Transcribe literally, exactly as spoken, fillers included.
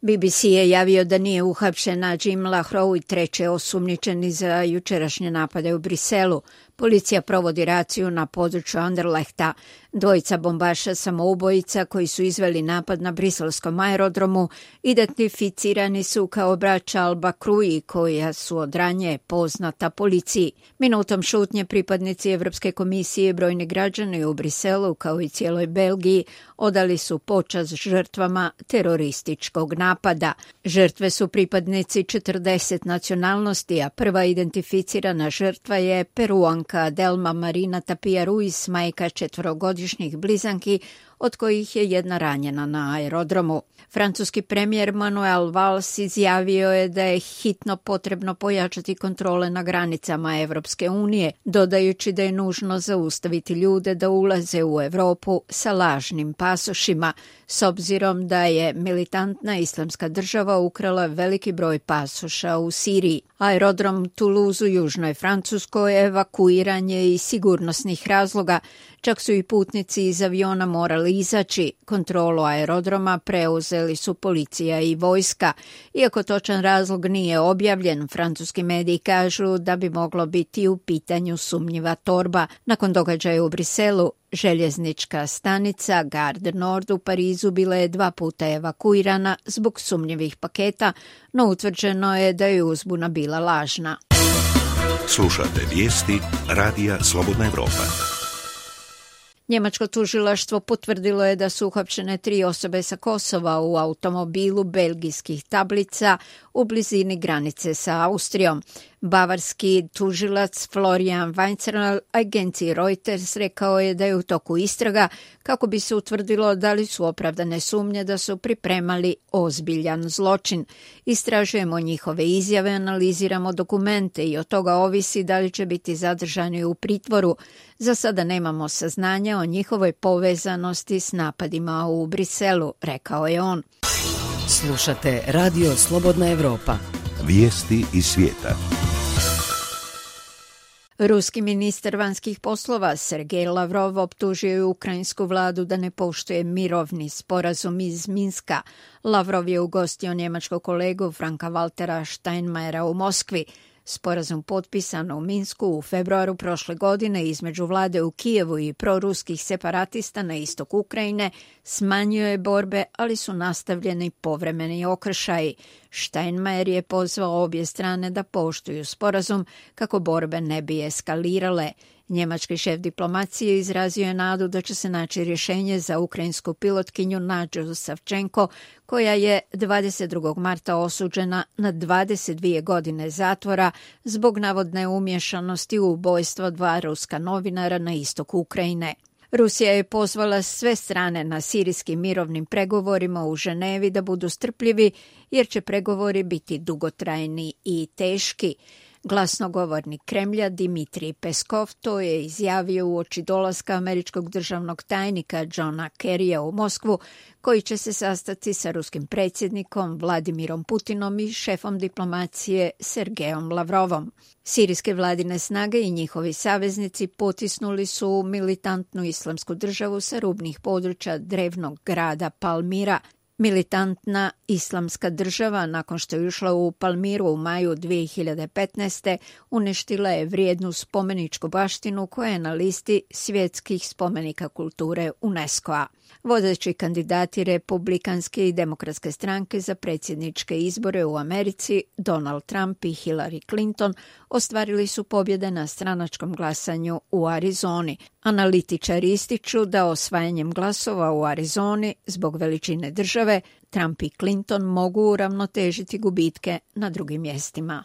B B C je javio da nije uhapšen Najim Lahroui, treći osumnjičeni za jučerašnje napade u Briselu. Policija provodi raciju na području Anderlehta. Dvojica bombaša samoubojica koji su izveli napad na briselskom aerodromu identificirani su kao braća Al-Bakrui, koja su od ranije poznata policiji. Minutom šutnje pripadnici Evropske komisije i brojni građani u Briselu, kao i cijeloj Belgiji, odali su počast žrtvama terorističkog napada. Žrtve su pripadnici četrdeset nacionalnosti, a prva identificirana žrtva je Peruanka Delma Marina Tapia Ruiz, majka četvorogodišnjih blizanki, od kojih je jedna ranjena na aerodromu. Francuski premijer Manuel Valls izjavio je da je hitno potrebno pojačati kontrole na granicama Evropske unije, dodajući da je nužno zaustaviti ljude da ulaze u Europu sa lažnim pasošima, s obzirom da je militantna islamska država ukrala veliki broj pasoša u Siriji. Aerodrom Toulouse u južnoj Francuskoj evakuiran je iz sigurnosnih razloga, čak su i putnici iz aviona morali izaći. Kontrolu aerodroma preuzeli su policija i vojska. Iako točan razlog nije objavljen, francuski mediji kažu da bi moglo biti u pitanju sumnjiva torba. Nakon događaja u Briselu, željeznička stanica Gare du Nord u Parizu bila je dva puta evakuirana zbog sumnjivih paketa, no utvrđeno je da je uzbuna bila lažna. Slušate vijesti Radija Slobodna Evropa. Njemačko tužilaštvo potvrdilo je da su uhapšene tri osobe sa Kosova u automobilu belgijskih tablica u blizini granice sa Austrijom. Bavarski tužilac Florian Weinzerl agenciji Reuters rekao je da je u toku istraga kako bi se utvrdilo da li su opravdane sumnje da su pripremali ozbiljan zločin. Istražujemo njihove izjave, analiziramo dokumente i od toga ovisi da li će biti zadržani u pritvoru. Za sada nemamo saznanja o njihovoj povezanosti s napadima u Briselu, rekao je on. Slušate Radio Slobodna Evropa. Vijesti iz svijeta. Ruski ministar vanjskih poslova Sergej Lavrov optužio je ukrajinsku vladu da ne poštuje mirovni sporazum iz Minska. Lavrov je ugostio njemačkog kolegu Franka Waltera Steinmeiera u Moskvi. Sporazum potpisan u Minsku u februaru prošle godine između vlade u Kijevu i proruskih separatista na istok Ukrajine smanjio je borbe, ali su nastavljeni povremeni okršaji. Steinmeier je pozvao obje strane da poštuju sporazum kako borbe ne bi eskalirale. Njemački šef diplomacije izrazio je nadu da će se naći rješenje za ukrajinsku pilotkinju Nadžu Savčenko, koja je dvadeset drugog marta osuđena na dvadeset dvije godine zatvora zbog navodne umješanosti u ubojstvo dva ruska novinara na istoku Ukrajine. Rusija je pozvala sve strane na sirijskim mirovnim pregovorima u Ženevi da budu strpljivi, jer će pregovori biti dugotrajni i teški. Glasnogovornik Kremlja Dimitrij Peskov to je izjavio uoči dolaska američkog državnog tajnika Johna Kerrya u Moskvu, koji će se sastati sa ruskim predsjednikom Vladimirom Putinom i šefom diplomacije Sergejom Lavrovom. Sirijske vladine snage i njihovi saveznici potisnuli su militantnu islamsku državu sa rubnih područja drevnog grada Palmira. Militantna islamska država, nakon što je ušla u Palmiru u maju dvije hiljade petnaeste. uništila je vrijednu spomeničku baštinu koja je na listi svjetskih spomenika kulture UNESCO-a. Vodeći kandidati republikanske i demokratske stranke za predsjedničke izbore u Americi, Donald Trump i Hillary Clinton, ostvarili su pobjede na stranačkom glasanju u Arizoni. Analitičari ističu da osvajanjem glasova u Arizoni zbog veličine države, Trump i Clinton mogu uravnotežiti gubitke na drugim mjestima.